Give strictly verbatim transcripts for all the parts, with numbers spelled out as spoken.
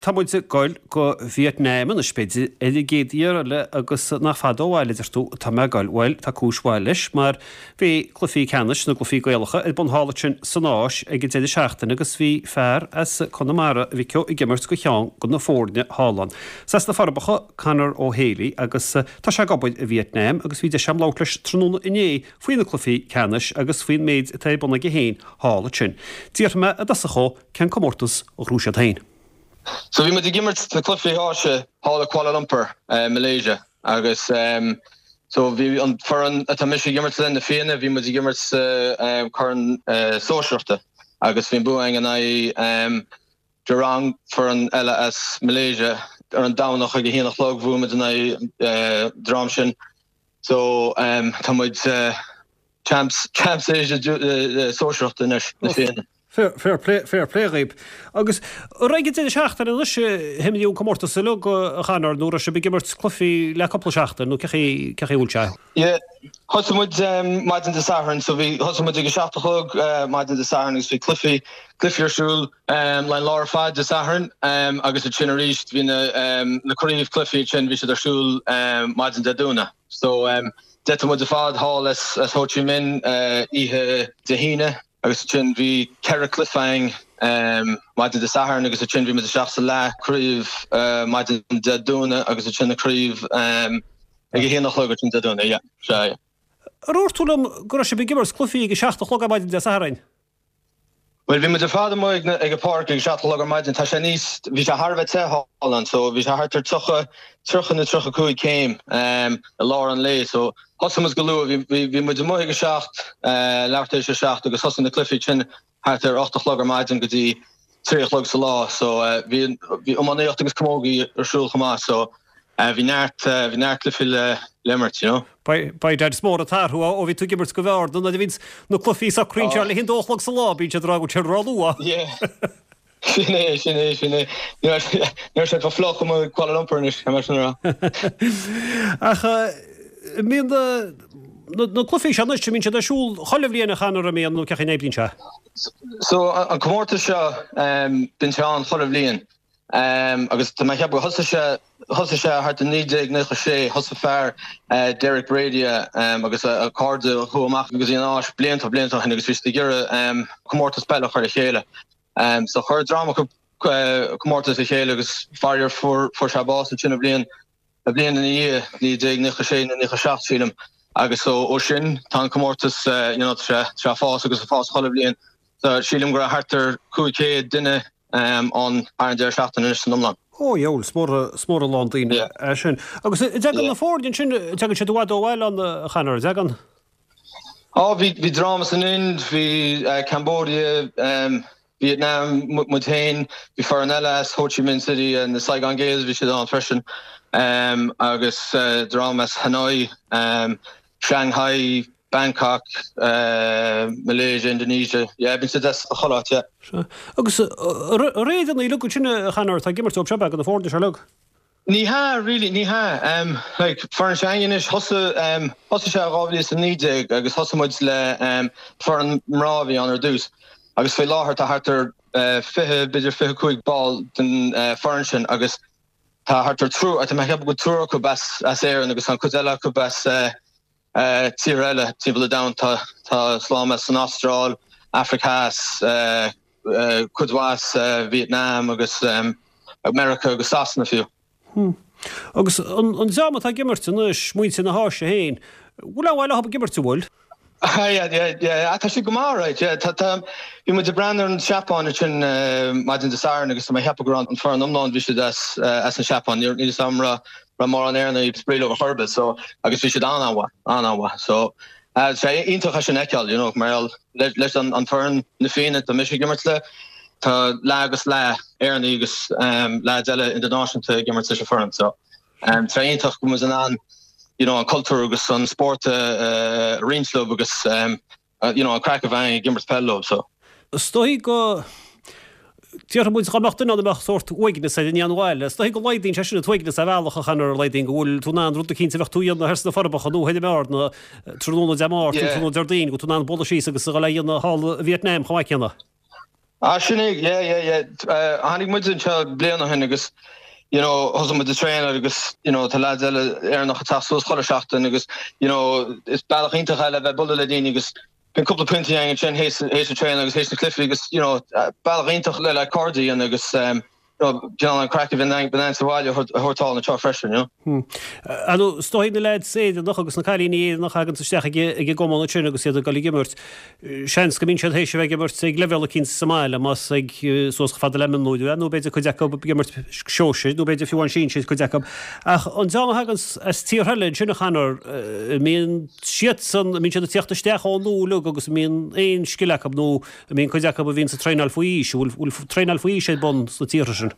Tá muid ag goil go Vietnam anois b'fhéidir ar an gcéad iarraidh eile agus nach fada ó bhaile a deir tú atá mé ag goil. Bhuel, tá cúis mhaith leis mar bhí cluichí ceannais na gcluichí Gaelacha ar bun thall ansin san Áis ag an deireadh seachtaine agus bhí fear as Conamara a bhí ag imirt do cheann de na foirne thall ann. Is as na Forbacha Conor Ó Héalaí agus tá sé ag obair i Vietnam agus bhí deis agam labhairt leis tráthnóna inné faoi na cluichí ceannais agus faoin méid atá ar bun aige féin thall ansin. D'fhiafraigh mé i dtosach dhó cén comórtas a ghnóthaigh siad féin. So bhí muid ag imirt na cluichí Áise thall i Kuala Lumpur, uh, Malaysia agus um, so bhí an foireann atá mise ag imirt le na Fianna bhí muid ag imirt uh, um, corn uh, sóisearachta agus bhí bua againn in aghaidh um, Jurong foireann eile as Malaysia ar an Domhnach ag a haon a chlog bhuaigh muid in aghaidh uh, dream sin. So um, tá muid uh, champs champs Asia uh, sóisearachta anois na Fianna. Fair fair play fair play dhaoib. Agus ag an deireadh seachtaine anois himlíún comórtas uilig a Chonor nó raibh sibh ag imirt cluichí le cúpla seachtain nó cé cé bhfuil sé. Yeah, thosaigh muid um, maidin Dé Sathairn, so bhí thosaigh muid ag a seacht a chlog uh, maidin Dé Sathairn agus bhí cluichí cluichí ar siúl um, le lá ar fad Dé Sathairn um, agus ansin arís bhí na, um, na craobh cluichí sin bhí siad ar siúl um, maidin Dé Domhnaigh. So um, d'eitil muid ar fad thall as, as Ho Chi Minh uh, oíche Dé hAoine agus sin bhí ceithre chluiche againn um, maidin Dé Sathairn agus sin bhí muid isteach sa leathchraobh uh, maidin Dé Domhnaigh agus sin na craobh um, ag a haon a chlog sin Dé Domhnaigh, yeah, sea, yeah. Dúirt tú liom go raibh sibh ag imirt cluichí ag a seacht a chlog ar maidin Dé Sathairn. Well bhí muid ar fad amuigh ag ag an pháirc ag seacht a chlog ar maidin tá sé níos bhí sé thar a bheith te thall ann so bhí sé thart ar tríocha tríocha nó tríocha cúig céim um, i lár an lae so thosaigh muid go luath bhí bhí muid amuigh ag a seacht uh, leathuair tar éis a seacht agus thosaigh na cluichí sin thart ar ocht a chlog ar maidin go dtí trí a chlog sa lá so uh, bhí bhí iománaíocht agus camógaí ar siúl chomh maith so uh, bhí neart uh, bhí neart cluichí le le imirt you know. Ba dead mór atú ó bhí tú ag imirt go bhfearna na bhíonn na cluichí socraíonn le hin dóchlog sa lá bíonn siad rá sé ró-luath. Yeah. Sin é sin é sin é Ní sé go fliuch i Kuala Lumpur anois mar sin rá. Ach mbíonn na cluichí seo anois mbíonn siad ar siúl chuile bhliain a Chonor an mbíonn nó cén chaoi a n-oibríonn sé. So an comórtas seo bíonn sé ann chuile bhliain. Um, agus tá mé ag ceapadh thosaigh sé thosaigh sé thart i naoi déag nócha sé thosaigh fear uh, Derek Brady um, agus a, a cairde chuaigh amach agus an Áis blianta blianta ó shin agus bhí siad ag iarraidh um, comórtas peile a chur le chéile. Um, so chuir dream acu uh, comórtas le chéile agus faraor fuair fuair sé bás sin a bliain a bliain ina dhiaidh naoi déag nócha sé nó nócha seacht sílim agus so ó sin tá an comórtas uh, you know, sé sé fás agus fás chuile bhliain. So sílim go raibh thart ar cúig chéad duine um, an ar an deireadh seachtaine anois san iomlán. Ó jeol smór smór lán daoine Yeah. sin. Agus dtagann na foirne sin tagann siad i bhfad ó bhaile an a Chonor dtagann. Á bhí bhí dream as an Ind, bhí uh, Cambodia, um, Vietnam muid féin, bhí foireann eile as Ho Chi Minh City and the Saigon Gales bhí siad ann freisin um, agus uh, dream as Hanoi, um, Shanghai, Bangkok, uh, Malaysia, Indonesia. Yeah, bíonn siad as chuile áit, yeah. Agus réad an uilig sin a Chonor tá ag imirt dóibh seo go na foirne seo uilig. Ní hea really ní hea um, like foireann s'againne anois thosaigh um, thosaigh sé dhá mhíle is a naoi déag agus thosaigh muid le um, foireann mná a bhí ann ar dtús agus faoi láthair tá thart ar uh, fiche b'fhéidir fiche cúig ball den uh, foireann sin agus tá thart ar triúr tá mé ag ceapadh go triúr acu as as Éirinn agus an chuid eile acu as uh, uh, tír eile timpeall an domhain tá tá slám as an Astráil, Afraic Theas, uh, uh, cuid mhaith as uh, Vietnam agus um, America agus Sasana fiú. Hmm. Agus an an dream atá ag imirt anois muintir na hÁise féin, bhfuil bhfuil ag imirt bhfuil? Yeah, yeah, yeah, tá sé go maith right, yeah, tá tá bhí muid ag breathnú ar an Seapáin sin uh, maidin Dé Sathairn agus tá mé ag ceapadh go raibh an foireann iomlán bhí siad as uh, as an Seapáin níl níl sam ra ra mar an airna spréile a churbe so agus bhí siad an-mhaith an-mhaith so uh, sé iontach sin a fheiceáil you know, mar leis an an foireann na Fianna tá mise ag imirt le tá leath agus leath Éireannaigh agus um, leath eile idirnáisiúnta ag imirt leis an foireann so um, tá iontach go bhfuil muid in ann you know, an cultúr agus an spórt uh, roinnt leo agus um, uh, you know, an craic a bheith ag imirt peil leo so. Is dóigh go Déarfaidh muid go mbeadh duine ann a mbeadh sórt uaigneas air i ndiaidh an bhaile. Is dóigh go laghdaíonn sé sin an t-uaigneas ar bhealach a Chonor laghdaíonn go bhfuil tú in ann rud eicínt a bheadh tú a dhéanamh ar sna Forbacha nó thoir i mBearna tráthnóna Dé Máirt Yeah. tráthnóna Déardaoin go tú in ann bualadh síos agus a dhul a dhéanamh thall i Vietnam chomh maith céanna. Ah sin é yeah yeah yeah tháinig muid anseo bliain ó shin agus you know thosaigh muid ag traenáil agus you know tá lads eile Éireannach ag teacht suas chuile seachtain agus you know is bealach iontach é le bheith bualadh le daoine agus bíonn cúpla piontaí againn ansin théis théis an traenáil agus théis na cluichí agus you know bealach iontach le le cairde a dhéanamh agus um, Cineál an craic a bhíonn againn sa bhaile a thabhairt thall anseo freisin, you know. Ar ndóigh, is dóigh na leaids Éireannach agus na cailíní Éireannach a thaganns isteach ag an gcumann ansin agus iad ag dul ag imirt, seans go mbíonn siad théis a bheith ag imirt ag leibhéal eicínt sa mbaile, más ag suas chomh fada le mionúir, nó b'fhéidir cuid acu ag imirt sóisir, nó b'fhéidir fiú amháin sinsir cuid acu. Ach an dream a thaganns as tíortha eile ansin a Chonor, an mbíonn siadsan, an mbíonn siad ag tíocht isteach ó nua uilig agus an mbíonn aon scil acu nó an mbíonn cuid acu a bhíonns ag traenáil faoi aois, an bhfuil traenáil faoi aois ar bun sna tíortha sin?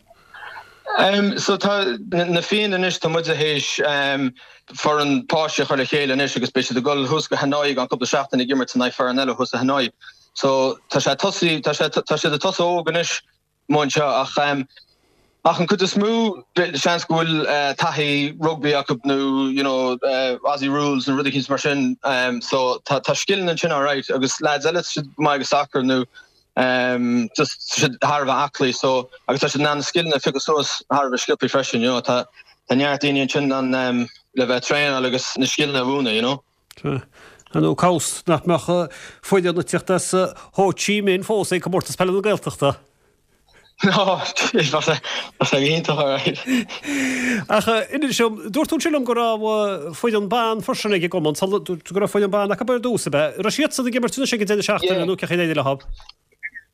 Um, so tá na Fianna anois tá muid théis um, foireann páistí a chur le chéile anois agus beidh siad ag dul thuas go Hanoi i gceann cúpla seachtain ag imirt in aghaidh foireann eile thuas i Hanoi. So tá sé tosaí tá sé tá siad ag tosú óg anois amuigh anseo ach um, ach an cuid is mó seans go bhfuil uh, taithí rugby acu nó you know, uh, Aussie rules nó rudaí mar sin um, so tá tá scileanna ansin alright agus lads eile siad go maith ag soccer nó um, just siad thar a bheith aclaí so agus tá siad in ann na scileanna a phiocadh suas thar a bheith sciobtha freisin you know tá tá neart daoine ansin an um, le bheith traenáil agus na scileanna a mhúineadh you know. Ar ndóigh cá bhfios nach mbeadh foireann ag tíocht as Ho Chi Minh fós ag Comórtas Peile na Gaeltachta. No, bheadh sé bheadh sé go hiontach alright. Ach inis dom, dúirt tú ansin liom go raibh foireann ban freisin ag an gcumann, dúirt tú go raibh foireann ban acu ar dtús, ab ea? Raibh siadsan ag imirt anois ag an deireadh seachtaine nó cén chaoi ar éirigh leo?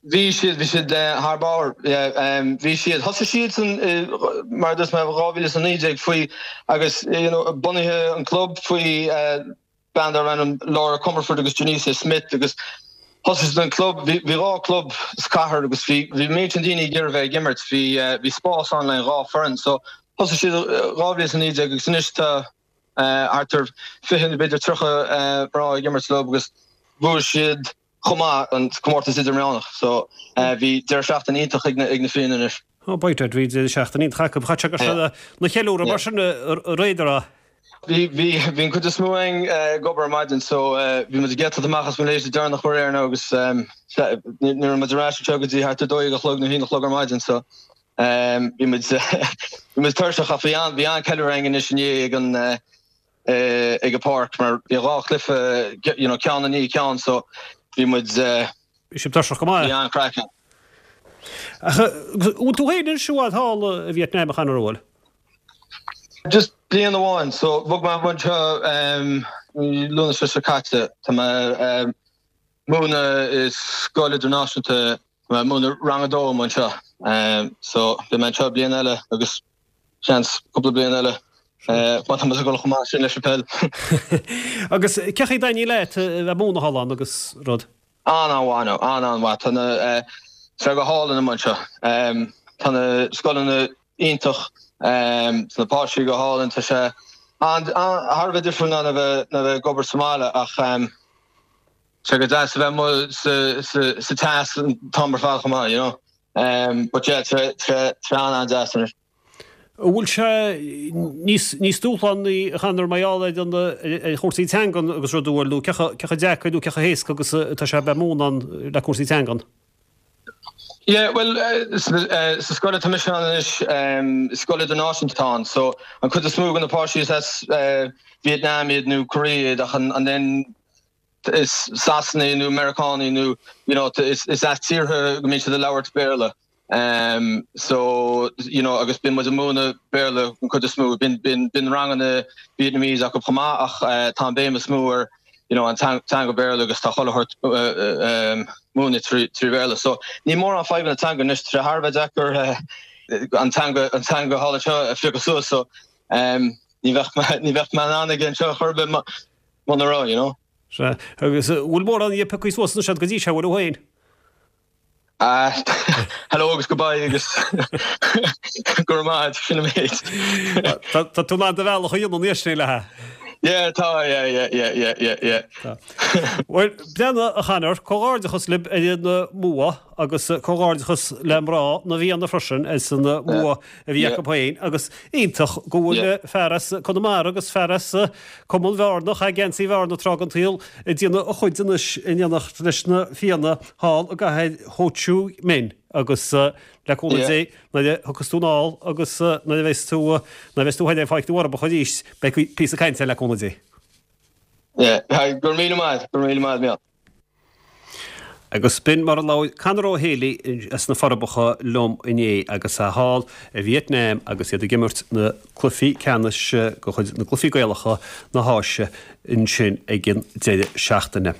Bhí siad, bhí siad thar barr, yeah, bhí siad, thosaigh siadsan mar a dúirt mé dhá mhíle is a naoi déag faoi agus you know bunaithe an club faoi bean darb ainm Laura Comerford agus Janisa Smith agus thosaigh siad an club, bhí dhá club sa chathair agus bhí bhí méid sin daoine ag iarraidh bheith ag imirt, bhí bhí spás ann le dhá foireann so thosaigh siad dhá mhíle is a naoi déag agus anois tá thart ar fiche nó b'fhéidir tríocha mná ag imirt leo agus bhuaigh siad chomh maith an comórtas idirmheánach so bhí deireadh seachtaine iontach ag na ag na Fianna anois. Oh by dad bhí deireadh seachtaine iontach acu. Chaith sé go raibh siad ina cheiliúradh mar sin aréir. Bhí, bhí, bhí an cuid is mó againn ag obair ar maidin so bhí muid ag eitilt amach as Malaysia deireanach aréir now agus ní raibh muid ar ais anseo go dtí thart ar dó dhéag a chlog nó haon a chlog ar maidin so bhí muid, bhí muid tuirseach ach bhí an, bhí an-ceiliúradh againn anois inné ag an ag an páirc mar bhí dhá chluiche you know ceann i ndiaidh ceann so bhí muid Bhí sibh tuirseach go maith. Bhí an-chraic ann. Ach bhfuil tú féin anois i bhfad thall i Vietnam a Chonor an bhfuil? Just bliain amháin so bhog mé anseo mí Lúnasa seo caite. Tá mé ag múineadh i scoil idirnáisiúnta, tá mé ag múineadh rang a dó amuigh anseo. So beidh mé anseo bliain eile agus seans cúpla bliain eile má tá muid ag dul chomh maith sin leis an peil. Agus cén chaoi a dtaitníonn leat a bheith ag múineadh thall ann agus rud? An-an-mhaith now, an-an-mhaith. Tá na, tá sé go hálainn amuigh anseo. Tá na scoileanna iontach, tá na páistí go hálainn, tá sé an, thar a bheith difriúil ná a bheith, ná a bheith ag obair sa mbaile ach tá sé go deas a bheith amuigh sa, sa, sa teas an t-am ar fad chomh maith, you know. But yeah, tá, tá, tá sé an-an-deas anois. An bhfuil sé níos, níos dúshlánaí a Chonor mar gheall ar an, ar chúrsaí teangan agus rud, bhfuil nó cé chomh, cé chomh deacair nó cé chomh héasca agus atá sé a bheith ag múineadh ann le cúrsaí teangan? Yeah, bhuel, sa scoil atá mise ann anois, scoil idirnáisiúnta atá ann, so an chuid is mó de na páistí is as Vietnam iad nó Korea iad ach an then is Sasanaigh nó Meiriceánaigh nó you know is as tíortha go mbíonn siad ag labhairt Béarla. Um, so, you know, agus bíonn muid ag múineadh Béarla an chuid is mó, bíonn, bíonn, bíonn ranganna Vietnamese acu chomh maith ach uh, tá an béim is mó ar you know, an teanga Béarla agus tá chuile shórt uh, um, múineadh trí, trí Bhéarla. So ní mórán fadhbanna teanga anois, tá sé thar a bheith deacair uh, an teanga an teanga thall anseo a phiocadh suas so um, ní bheadh ní bheadh mé in ann aige anseo chor ar bith muna raibh, you know. Sea, agus bhfuil mórán dhe pioctha suas anois agat go dtí seo, bhfuil thú féin? Ah, hello agus goodbye agus go raibh maith agat, sin an méid. Tá tú in ann do bhealach a dhéanamh anois, ní le. Yeah, tá, yeah, yeah, yeah, yeah, yeah, yeah. Bhuel, breathnaigh, a Chonor, comhghairdeachas libh ar an mbua agus comhghairdeachas le mná na bhFianna freisin as an mbua a bhí acu féin agus iontach go bhfuil fear as Conamara agus fear as Cumann Bhearna, a chaith geansaí Bhearna tráth den tsaol, ag déanamh a chuid anois in éineacht leis na Fianna thall i gcathair Ho Chi Minh agus le cúnamh Dé, nuair a thiocfas tú anall agus nuair a bheas tú, nuair a bheas tú thoir ag Pháirc na bhForbacha arís, beidh píosa cainte le cúnamh Dé. Yeah, go raibh míle maith, go raibh míle maith, Mícheál. Agus b'in mar a labhair Conor Ó Héalaí as na Forbacha liom inné agus é thall i Vietnam agus iad ag imirt na cluichí ceannais de chuid na gCluichí Gaelacha na hÁise ansin ag an deireadh seachtaine.